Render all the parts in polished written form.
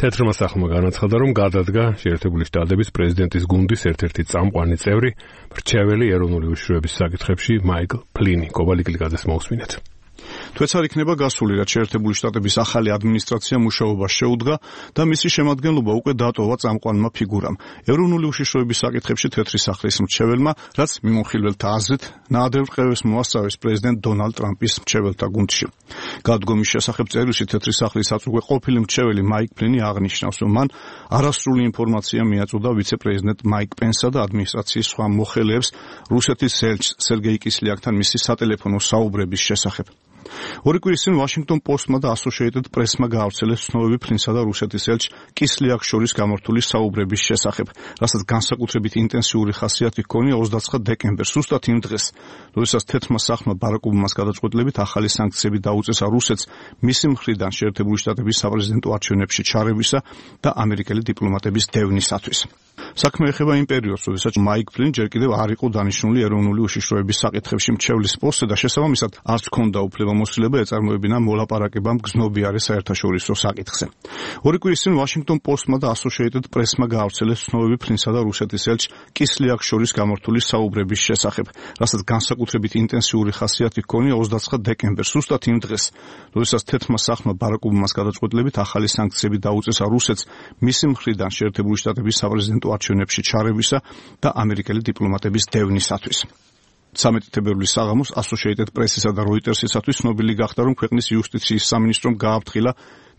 თეთრმა სახლმა განაცხადა, რომ გადადგა შეერთებული შტატების პრეზიდენტის გუნდის ერთ-ერთი წამყვანი წევრი, მრჩეველი ეროვნული უშიშროების საკითხებში მაიკლ ფლინი. კობალი კლიკაძეს მოусმინეთ. თვეც არ იქნება გასული, რაც შეერთებული შტატების ახალი ადმინისტრაცია მუშაობას შეუდგა და მისი შემადგენლობა უკვე დატოვა წამყვანმა ფიგურამ. ეროვნული უშიშროების საკითხებში თეთრი სახლის მრჩეველმა, რაც მიმოხილველთა აზრით ნაადრევ რყევებს მოასწავეს პრეზიდენტ დონალდ ტრამპის მრჩეველთა გუნდში. გადადგომის შესახებ წერილში თეთრი სახლის აწუხე ყოფილი მრჩეველი მაიკ ფლინი აღნიშნავს, რომ მან არასრული ინფორმაცია მიაწოდა ვიცე-პრეზიდენტ მაიკ პენსსა და ადმინისტრაციის სხვა მოხელეებს რუსეთის ელჩს სერგეი კისლიაკთან მისი სატელეფონო საუბრების შესახებ. ორი კვირის წინ ვაშინგტონ პოსტმა და ასოციეიტედ პრესმა გაავრცელეს ცნობები ფლინსა და რუსეთის ელჩ კისლიაკს შორის გამართული საუბრების შესახებ, რასაც განსაკუთრებით ინტენსიური ხასიათი ჰქონია 29 დეკემბერს, ზუსტად იმ დღეს, როდესაც თეთრმა სახლმა ბარაკ ობამას გადაწყვეტილებით ახალი სანქციები დაუწესა რუსეთს მისი მხრიდან შეერთებული შტატების საპრეზიდენტო არჩევნებში ჩარევისა და ამერიკელი დიპლომატების დევნისათვის. საქმე ეხება იმ პერიოდს, როდესაც მაიკ ფლინი ჯერ კიდევ არ იყო დანიშნული ეროვნული უშიშროების საკითხებში მრჩევლის პოსტზე და შესაბამისად არც ჰქონდა უფლებამოსილება ეწარმოებინა მოლაპარაკებამ გზნობიარე საერთაშორისო საკითხზე. ორი კვირის წინ ვაშინგტონ პოსტმა და ასოციეიტედ პრესმა გაავრცელეს ცნობები ფლინსა და რუსეთის ელჩ კისლიაკს შორის გამართული საუბრების შესახებ, რასაც განსაკუთრებით ინტენსიური ხასიათი ჰქონია 29 დეკემბერს, ზუსტად იმ დღეს, როდესაც თეთრმა სახლმა ბარაკ ობამას გადაწყვეტილებით ახალი სანქციები დაუწესა რუსეთს მისი მხრიდან შეერთებული შტატების საპრეზიდენტო არჩევნებში ჩარევისა და ამერიკელი დიპლომატების დევნისათვის. 13 თებერვლის საღამოს ასოციეიტედ პრესისა და როიტერსისათვის ცნობილი გახდა, რომ ქვეყნის იუსტიციის სამინისტრომ გააფრთხილა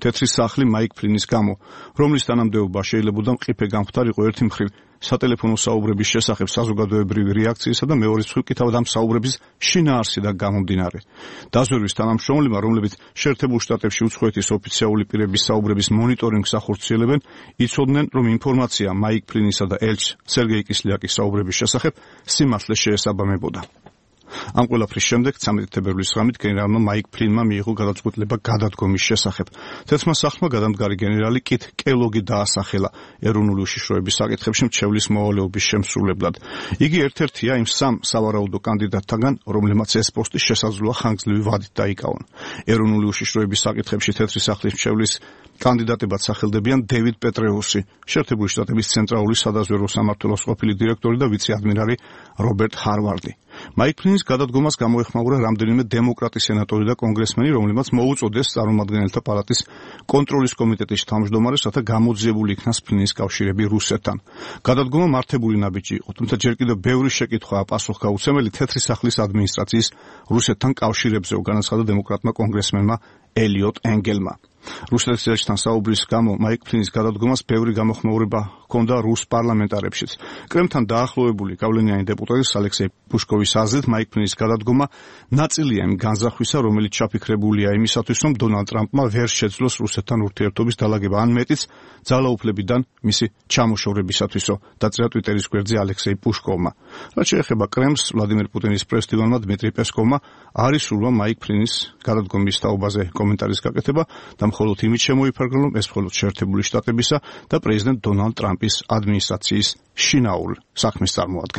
თეთრი სახლი მაიკ ფლინის გამო, რომლის თანამდებობა შეიძლებოდა მყიფე გამხდარიყო ერთი მხრივ სატელეფონო საუბრების შესახებ საზოგადოებრივი რეაქციისა და მეორე მხრივ კი თავად ამ საუბრების შინაარსიდან გამომდინარე. დაზვერვის თანამშრომლებმა, რომლებიც შეერთებულ შტატებში უცხოეთის ოფიციალური პირების საუბრების მონიტორინგს ახორციელებენ, იცოდნენ, რომ ინფორმაცია მაიკ ფლინისა და ელჩ სერგეი კისლიაკის საუბრების შესახებ სიმართლეს შეესაბამებოდა. ამ ყველაფრის შემდეგ 13 თებერვლის ღამით გენერალმა მაიკ ფლინმა მიიღო გადაწყვეტილება გადადგომის შესახებ. თეთრმა სახლმა გადამდგარი გენერალი კით კელოგი დაასახელა ეროვნული უშიშროების საკითხებში მრჩევლის მოვალეობის შემსრულებლად. იგი ერთ-ერთია იმ სამ სავარაუდო კანდიდატთაგან, რომლებმაც ეს პოსტი შესაძლოა ხანგრძლივი ვადით დაიკავონ. ეროვნული უშიშროების საკითხებში თეთრი სახლის მრჩევლის კანდიდატებად სახელდებიან დევიდ პეტრეუსი, შეერთებული შტატების ცენტრალური სადაზვერვო სამმართველოს ყოფილი დირექტორი და ვიცე-ადმირალი რობერტ ჰარვარდი. მაიკ ფლინის გადადგომას გამოეხმაურა რამდენიმე დემოკრატი სენატორი და კონგრესმენი, რომლებმაც მოუწოდეს წარმომადგენელთა პალატის კონტროლის კომიტეტის თავმჯდომარეს, რათა გამოძიებული იქნას ფლინის კავშირები რუსეთთან. გადადგომა მართებული ნაბიჯი იყო, თუმცა ჯერ კიდევ ბევრი შეკითხვაა პასუხგაუცემელი თეთრი სახლის ადმინისტრაციის რუსეთთან კავშირებზე, განაცხადა დემოკრატმა კონგრესმენმა ელიოტ ენგელმა. რუსეთის ელჩთან საუბრის გამო მაიკ ფლინის გადადგომას ბევრი გამოხმაურება ჰქონდა რუს პარლამენტარებშიც. კრემლთან დაახლოებული გავლენიანი დეპუტატის ალექსეი პუშკოვის აზრით მაიკ ფლინის გადადგომა ნაწილია იმ განზრახვისა, რომელიც ჩაფიქრებულია იმისათვის, რომ დონალდ ტრამპმა ვერ შეძლოს რუსეთთან ურთიერთობის დალაგება, ან მეტიც ძალაუფლებიდან მისი ჩამოშორებისათვისო, დაწერა ტვიტერის გვერდზე ალექსეი პუშკოვმა. რაც შეეხება კრემლს, ვლადიმერ პუტინის პრესდივანმა დმიტრი პესკოვმა არ ისურვა მაიკ ფლინის გადადგომის თაობაზე კომენტარის გაკეთება და მხოლოდ იმით შემოიფარგლა, რომ ეს მხოლოდ შეერთებული შტატებისა და პრეზიდენტ დონალდ ტრამპის ადმინისტრაციის შინაურ საქმეს წარმოადგენს.